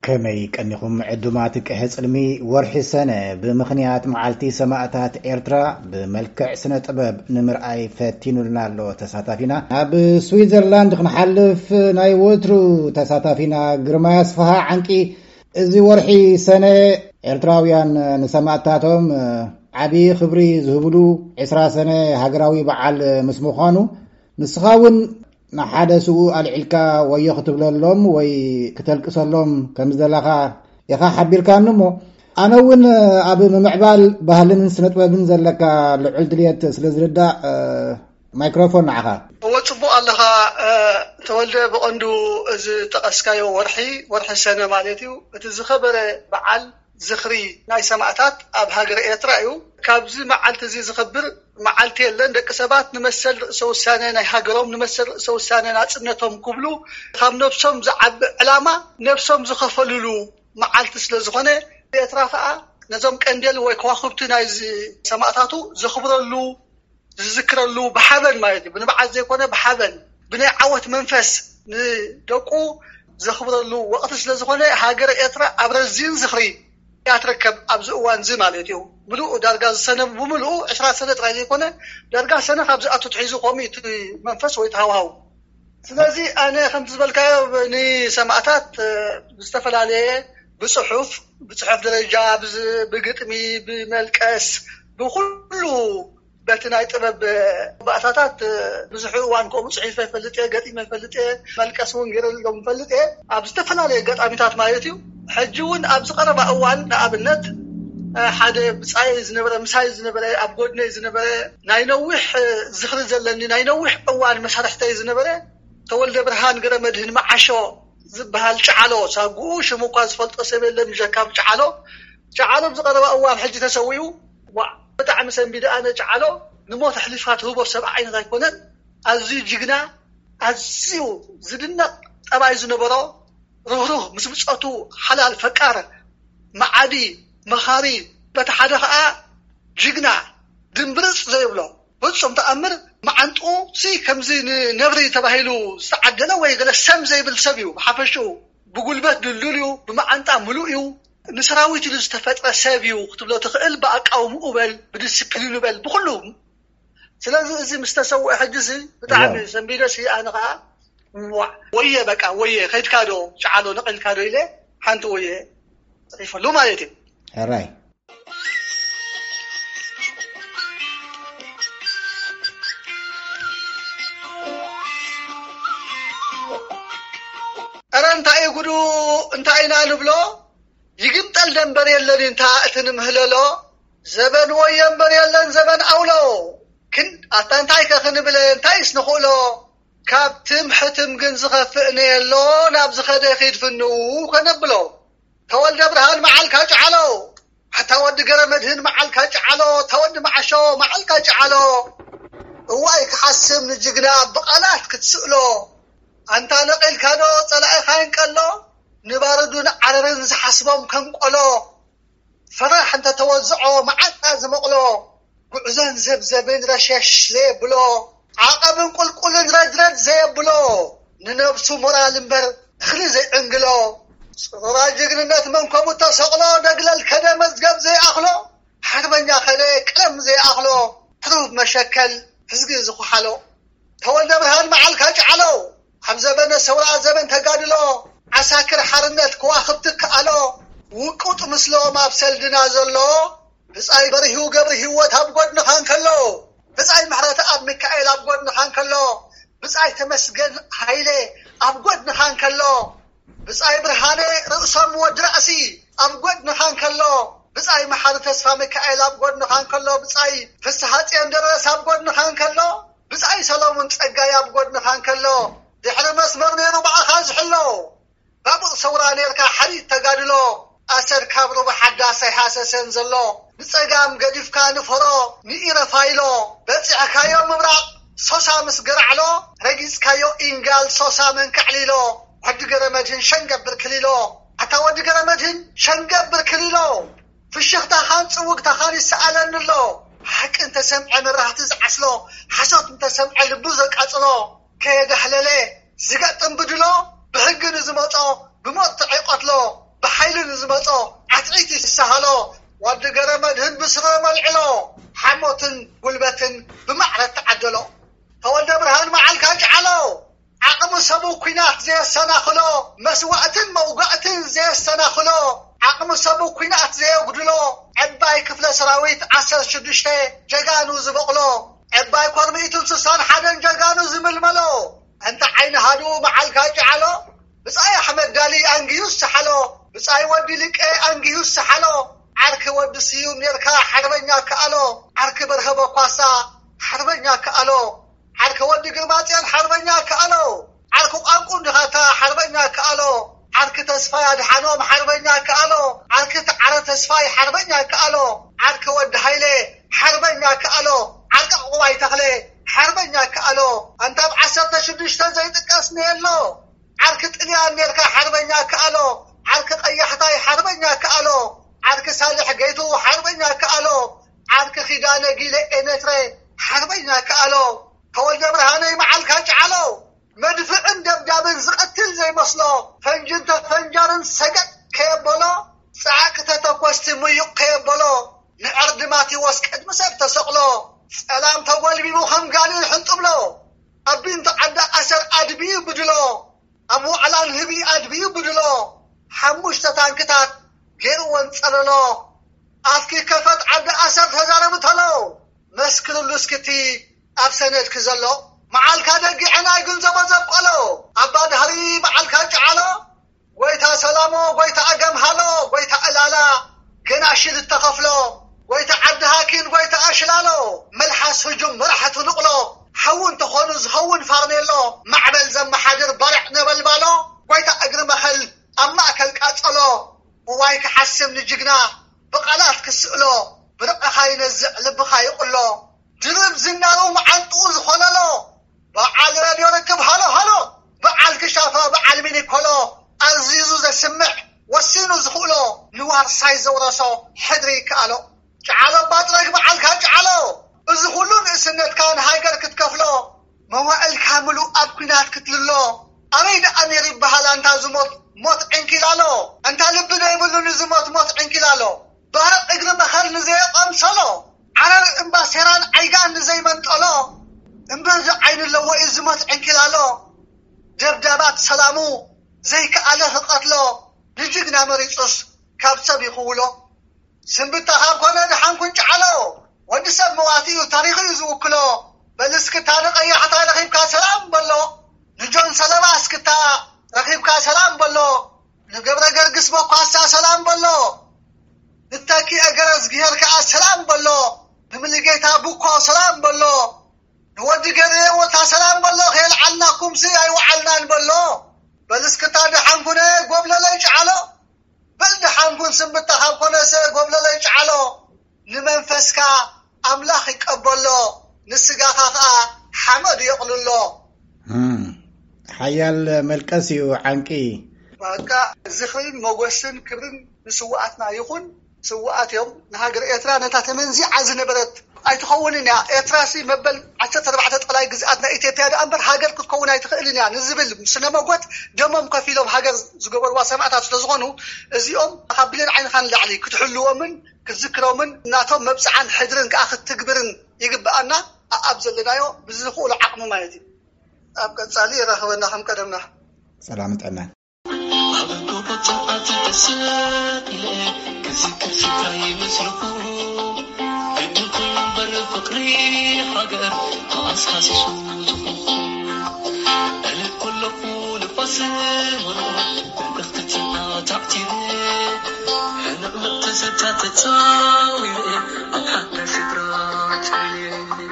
ከመይ ቀኒኹም ዕዱማት ቅሐ ጽልሚ? ወርሒ ሰነ ብምኽንያት መዓልቲ ሰማእታት ኤርትራ ብመልክዕ ስነ ጥበብ ንምርኣይ ፈቲኑልና ኣሎ ተሳታፊና። ናብ ስዊዘርላንድ ክንሓልፍ ናይ ወትሩ ተሳታፊና ግርማይ ኣስፍሃ ዓንቂ፣ እዚ ወርሒ ሰነ ኤርትራውያን ንሰማእታቶም ዓቢ ክብሪ ዝህብሉ ዕስራ ሰነ ሃገራዊ በዓል ምስ ምዃኑ፣ ንስኻ እውን ንሓደ ስውእ ኣልዒልካ ወዮ ክትብለሎም ወይ ክተልቅሰሎም ከም ዝደላኻ ኢኻ ሓቢርካኒ እሞ፣ ኣነ እውን ኣብ ምምዕባል ባህልን ስነጥበብን ዘለካ ልዑል ድልየት ስለ ዝርዳእ፣ ማይክሮፎን ንዓኻ። እወ፣ ጽቡቕ ኣለኻ፣ እ፣ ተወልደ። ብቐንዱ እዚ ጠቐስካዮ ወርሒ፣ ወርሒ ሰነ ማለት እዩ። እቲ ዝኸበረ በዓል ዝኽሪ ናይ ሰማእታት ኣብ ሃገረ ኤርትራ እዩ። ካብዚ መዓልቲ እዚ ዝኽብር መዓልቲ የለን። ደቂ ሰባት ንመሰል ርእሰ ውሳነ ናይ ሃገሮም፣ ንመሰል ርእሰ ውሳነ ናጽነቶም ክብሉ ካብ ነብሶም ዝዓቢ ዕላማ ነብሶም ዝኸፈሉሉ መዓልቲ ስለ ዝኾነ፣ ኤርትራ ከኣ ነዞም ቀንዴል ወይ ከዋኽብቲ ናይዚ ሰማእታቱ ዘኽብረሉ፣ ዝዝክረሉ ብሓበን ማለት እዩ። ብንብዓት ዘይኮነ ብሓበን፣ ብናይ ዓወት መንፈስ ንደቁ ዘኽብረሉ ወቕቲ ስለ ዝኾነ፣ ሃገረ ኤርትራ ኣብ ረዚን ዝኽሪ እያ ትርከብ ኣብዚ እዋን እዚ ማለት እዩ። ምሉእ ዳርጋ ዝሰነ ብምሉኡ ዕስራ ሰነ ጥራይ ዘይኮነ፣ ዳርጋ ሰነ ካብ ዝኣቱ ትሒዙ ከምኡ እዩ እቲ መንፈስ ወይ እቲ ሃዋህው። ስለዚ ኣነ ከምቲ ዝበልካዮ ብ-፣ ንሰማእታት፣ እ፣ ብዝተፈላለየ ብጽሑፍ፣ ብጽሑፍ ደረጃ፣ ብዝ-፣ ብግጥሚ፣ ብመልቀስ፣ ብኹሉ በቲ ናይ ጥበብ ባእታታት ብዙሕ እዋን ከምኡ ጽሒፈ ይፈልጥ እየ፣ ገጢመ ይፈልጥ እየ፣ መልቀስ እውን ገይረሎም ይፈልጥ እየ፣ ኣብ ዝተፈላለየ ኣጋጣሚታት ማለት እዩ። ሕጂ እውን ኣብዚ ቀረባ እዋን ንኣብነት ሓደ ብጻይ ዝነበረ፣ ምሳይ ዝነበረ፣ ኣብ ጎድነይ ዝነበረ፣ ናይ ነዊሕ ዝኽሪ ዘለኒ፣ ናይ ነዊሕ እዋን መሳርሕተይ ዝነበረ ተወልደ ብርሃን ገረመድህን መዓሾ ዝበሃል ጨዓሎ ሳጉኡ፣ ሽሙ እኳ ዝፈልጦ ሰብ የለን፣ ምሸካም ጨዓሎ። ጨዓሎ ኣብዚ ቀረባ እዋን ሕጂ ተሰዊኡ። ዋዕ፣ ብጣዕሚ ሰንቢደ። ኣነ ጨዓሎ ንሞት ኣሕሊፍካ ትህቦ ሰብ ዓይነት ኣይኮነን። ኣዝዩ ጅግና፣ ኣዝዩ ዝድነቕ ጠባይ ዝነበሮ፣ ርህሩህ፣ ምስ ብጾቱ ሓላል፣ ፈቃር፣ መዓዲ፣ መኻሪ፣ በቲ ሓደ ኸኣ ጅግና፣ ድምብርጽ ዘይብሎ፣ ፍጹም ተኣምር። መዓንጥኡ ሲ ከምዚ ንነብሪ ተባሂሉ ዝተዓደለ ወይ ገለ ሰም ዘይብል ሰብ እዩ። ብሓፈሽኡ ብጉልበት ድልዱል እዩ፣ ብመዓንጣ ምሉእ እዩ። ንሰራዊት ኢሉ ዝተፈጥረ ሰብ እዩ ክትብሎ ትኽእል፣ ብኣቃውምኡ በል፣ ብዲስፕሊኑ በል፣ ብኹሉ። ስለዚ እዚ ምስ ተሰውአ ሕጂ ሲ ብጣዕሚ እዋው። ሰንቢደ ሲ ኣነ ኸዓ ዋዕ፣ ወየ በቃ ወየ፣ ከይድካ ዶ ጨዓሎ ነቒልካ ዶ ኢለ ሓንቲ ወየ ጽሒፈሉ ማለት እዩ። ሕራይ። ኧረ እንታይ እዩ ጉዱ? እንታይ ኢና ንብሎ? ይግምጠል ደንበር የለን እንታ እቲ ንምህለሎ። ዘበን ወዮ እምበር የለን ዘበን ኣውሎ። ክን ኣታ እንታይ ከ ክንብል፣ እንታይስ ንኽእሎ? ካብ ትም ሕትም ግን ዝኸፍእ ነየሎ። ናብ ዝኸደ ኺድ ፍንው ከነብሎ። ተወልደ ብርሃን መዓልካ ጨዓሎ። ኣታ ወዲ ገረ መድህን መዓልካ ጨዓሎ። ኣታ ወዲ መዓሾ መዓልካ ጨዓሎ። እዋይ ክሓስም ንጅግና ብቓላት ክትስእሎ። ኣንታ ነቒልካ ዶ ጸላኢኻ ይንቀሎ? ንባርዱን ዓረርን ዝሓስቦም ከም ቆሎ። ፈራሕ እንተ ተወዝዖ መዓጣ ዝመቕሎ። ጉዕዞን ዘብዘብን ረሸሽ ዘየብሎ። ዓቐብን ቁልቁልን ረድረድ ዘየብሎ። ንነብሱ ሞራል እምበር እኽሊ ዘይዕንግሎ። ጽሩራ ጅግንነት መንከቡ ተሰቕሎ። ነግለል ከደ መዝገብ ዘይኣኽሎ። ሓርበኛ ከደ ቀለም ዘይኣኽሎ። ሕሩብ መሸከል ሕዝጊ ዝኹሓሎ። ተወልደ ብርሃን መዓልካ ጨዓሎ። ኣብ ዘበነ ሰውራ ዘበን ተጋድሎ። ዓሳክር ሓርነት ከዋኽብቲ ከኣሎ። ውቁጥ ምስሎም ኣብ ሰልድና ዘሎ። ብጻይ በርሂው ገብሪ ህይወት ኣብ ጎድንኻ እንከሎ። ብጻይ ምሕረት ኣብ ሚካኤል ኣብ ጎድንኻ እንከሎ። ብጻይ ተመስገን ሃይለ ኣብ ጎድንኻ እንከሎ። ብጻይ ብርሃነ ርእሶም ወዲ ራእሲ ኣብ ጎድንኻ እንከሎ። ብጻይ መሓሪ ተስፋ ሚካኤል ኣብ ጎድንኻ እንከሎ። ብጻይ ፍስሃ ጽዮን ደረስ ኣብ ጎድንኻ እንከሎ። ብጻይ ሰሎሙን ጸጋይ ኣብ ጎድንኻ እንከሎ። ድሕሪ መስመር ነይሩ ብኣኻ ዝሕሎ። ባቡር ሰውራ ኔርካ ሓሪት ተጋድሎ። ኣሰር ካብ ሩባ ሓዳስ ኣይሃሰሰን ዘሎ። ንጸጋም ገዲፍካ ንፈሮ ንኢረፋይሎ። በጺሕካዮ ምብራቕ ሶሳ ምስ ገራዕሎ። ረጊጽካዮ ኢንጋል ሶሳ መንካዕሊሎ። ወዲ ገረ መድህን ሸንገብር ክሊሎ። ኣታ ወዲ ገረ መድህን ሸንገብር ክሊሎ። ፍሽኽታኻን ጽውግታኻን ይሰኣለኒ ኣሎ። ሓቂ እንተሰምዐ መብራህቲ ዝዓስሎ። ሓሶት እንተሰምዐ ልቡ ዘቃጽሎ። ከየዳህለለ ዝገጥም ብድሎ። ብሕጊ ንዝመጾ ብመርትዕ ይቐትሎ። ንዝመጾ ዓትዒት ይሰሃሎ። ወዲ ገረ መድህን ብስረ መልዕሎ፣ ሓሞትን ጉልበትን ብማዕረ ተዓደሎ። ተወልደ ብርሃን መዓልካ ጨዓሎ፣ ዓቕሚ ሰቡ ኲናት ዘየሰናኽሎ፣ መስዋእትን መውጋእትን ዘየሰናኽሎ፣ ዓቕሚ ሰቡ ኲናት ዘየጉድሎ፣ ዕባይ ክፍለ ሰራዊት ዓሰርተ ሽዱሽተ ጀጋኑ ዝበቕሎ፣ ዕባይ ኮር ሚእትን ስሳን ሓደን ጀጋኑ ዝምልመሎ፣ እንተ ዓይኒ ሃዱ መዓልካ ጨዓሎ፣ ብጻይ ኣሕመድ ዳሊ ኣንጊዩ ዝሰሓሎ፣ ብጻይ ወዲ ልቄ ኣንጊዩ ዝሰሓሎ፣ ዓርኪ ወዲ ስዩም ኔርካ ሓርበኛ ከኣሎ፣ ዓርኪ በርሀ በኳሳ ሓርበኛ ከኣሎ፣ ዓርኪ ወዲ ግርማጽዮን ሓርበኛ ከኣሎ፣ ዓርኪ ቋንቁ እንድኻታ ሓርበኛ ከኣሎ፣ ዓርኪ ተስፋይ ኣድሓኖም ሓርበኛ ከኣሎ፣ ዓርኪ ተዓረ ተስፋይ ሓርበኛ ከኣሎ፣ ዓርኪ ወዲ ሃይለ ሓርበኛ ከኣሎ፣ ዓርኪ ዕቑባይ ተኽለ ሓርበኛ ከኣሎ፣ ኣንታ ኣብ ዓሰርተ ሽዱሽተ ዘይጥቀስ ነየሎ። ዓርኪ ጥልያን ኔርካ ሓርበኛ ከኣሎ፣ ዓርኪ ቀያሕታይ ሓርበኛ ከኣሎ፣ ዓርኪ ሳልሕ ገይቱ ሓርበኛ ከኣሎ፣ ዓርኪ ኪዳነ ጊለ ኤነትረ ሓርበኛ ከኣሎ፣ ተወልደ ብርሃነይ መዓልካ ጨዓሎ። መድፍዕን ደብዳብን ዝቐትል ዘይመስሎ፣ ፈንጅን ተፈንጃርን ሰገጥ ከየበሎ፣ ጸዓቂ ተተኮስቲ ምዩቕ ከየበሎ፣ ንዕርዲ ማቴዎስ ቅድሚ ሰብ ተሰቕሎ፣ ጸላም ተጎልቢቡ ከም ጋኔን ሕንጥብሎ፣ ኣብ ቢንቶ ዓዲ ኣሰር ኣድብዩ ብድሎ፣ ኣብ ዋዕላን ህቢ ኣድብዩ ብድሎ፣ ሓሙሽተ ታንክታት ገይርወን ጸለሎ። ኣፍኪ ከፈት ዓዲ ኣሰር ተዛረቢ ተሎ፣ መስክርሉ እስክቲ ኣብ ሰነድኪ ዘሎ፣ መዓልካ ደጊዐ ናይ ግንዘቦ ዘብቀሎ፣ ኣባ ድሃሪ መዓልካ ጨዓሎ፣ ጎይታ ሰላሞ፣ ጎይታ ኣገምሃሎ፣ ጎይታ ዕላላ፣ ገና ሽል እተኸፍሎ፣ ጎይታ ዓዲ ሃኪን፣ ጎይታ ኣሽላሎ፣ መልሓስ ህጁም መራሕቲ ንቕሎ፣ ሓዊ እንተኾኑ ዝኸውን ፋርኔሎ፣ ማዕበል ዘመሓድር ባርዕ ነበልባሎ፣ ጎይታ እግሪ መኸል ኣብ ማእከል ቃጸሎ፣ እዋይ ክሓስም ንጅግና ብቓላት ክስእሎ፣ ብርዕኻ ይነዝዕ ልብኻ ይቕሎ፣ ድርብ ዝናሩ መዓንጥኡ ዝኾለሎ፣ በዓል ሬድዮ ርክብ ሃሎ ሃሎ፣ በዓል ክሻፋ በዓል ሚኒኮሎ፣ ኣዚዙ ዘስምዕ ወሲኑ ዝኽእሎ፣ ንዋርሳይ ዘውረሶ ሕድሪ ይከኣሎ። ጨዓሎ ባጥረግ በዓልካ ጨዓሎ፣ እዚ ኩሉ ንእስነትካ ንሃገር ክትከፍሎ፣ መዋእልካ ምሉእ ኣብ ኲናት ክትልሎ፣ ኣበይ ደኣ ነይሩ ይበሃል ኣንታ ዝሞት ሞት ዕንኪላሎ፣ ኣንታ ልቢ ዘይብሉ ንዝሞት ሞት ዕንኪላሎ፣ ባህር እግሪ መኸል ንዘየቐምሰሎ፣ ዓረር እምባ ሴራን ዓይጋን ንዘይመንጠሎ፣ እምብርዚ ዓይኒ ኣለዎ እዩ ዝሞት ዕንኪላሎ፣ ደብዳባት ሰላሙ ዘይከኣለ ክቐትሎ፣ ንጅግና መሪጹስ ካብ ሰብ ይኽውሎ። ስንብታ ካብ ኮነ ደሓን ኩን ጨዓሎ፣ ወዲ ሰብ መዋቲ እዩ ታሪኹ እዩ ዝውክሎ። በል እስክታ ንቐያሕታ ረኺብካ ሰላም በሎ፣ ንጆን ሰለባ እስክታ ረኺብካ ሰላም በሎ፣ ንገብረ ገርግስ በኳሳ ሰላም በሎ፣ ንተኪ እገረዝግሄር ከኣ ሰላም በሎ፣ ንምልጌታ ቡኮ ሰላም በሎ፣ ንወዲ ገርየ ወታ ሰላም በሎ፣ ከየልዓልናኩምሲ ኣይወዓልናን በሎ። በል እስክታ ደሓን ኩነ ጎብለለይ ጨዓሎ፣ በል ደሓን ኩን ስንብታ ካብ ኮነሰ ጎብለለይ ጨዓሎ፣ ንመንፈስካ ኣምላኽ ይቀበሎ፣ ንስጋኻ ኸኣ ሓመድ የቕልሎ። እም፣ ሓያል መልቀስ እዩ ዓንቂ። በቃ ዝኽርን ሞገስን ክብርን ንስውኣትና ይኹን። ስውኣት እዮም። ንሃገር ኤርትራ ነታ ተመንዚዓ ዝነበረት ኣይትኸውንን እያ። ኤርትራሲ መበል ዓሰርተ ኣርባዕተ ጠላይ ግዝኣት ናይ ኢትዮጵያ ደኣ እምበር ሃገር ክትከውን ኣይትኽእልን እያ ንዝብል ስነ መጎት ደሞም ከፊሎም ሃገር ዝገበርዋ ሰማእታት ስለ ዝኾኑ እዚኦም ካብ ብሌን ዓይንኻ ንላዕሊ ክትሕልዎምን ክትዝክሮምን ናቶም መብጽዓን ሕድርን ከኣ ክትትግብርን ይግብኣና። ኣኣብ ዘለናዮ ብዝኽእሎ ዓቕሚ ማለት እዩ። ኣብ ቀጻሊ የራኽበና ከም ቀደምና። ሰላምን ጥዕናን። ኣብ ጎቦ ጨንዓቲ ተሰቒለ ክዝክር ስፍራ ይመስልኹ። ግድን ኩሉ እምበር ፍቕሪ ሃገር ተኣስካሲሱ ዝኹኹ። እልል ኮለኹ ንፋስ ወርቑ መልእኽቲ ጨንዓ ታዕቲረ። ሕንቕንቕ ትዝታ ተጻዊረ ኣብ ሓዳሽ ስፍራ ጨልየ።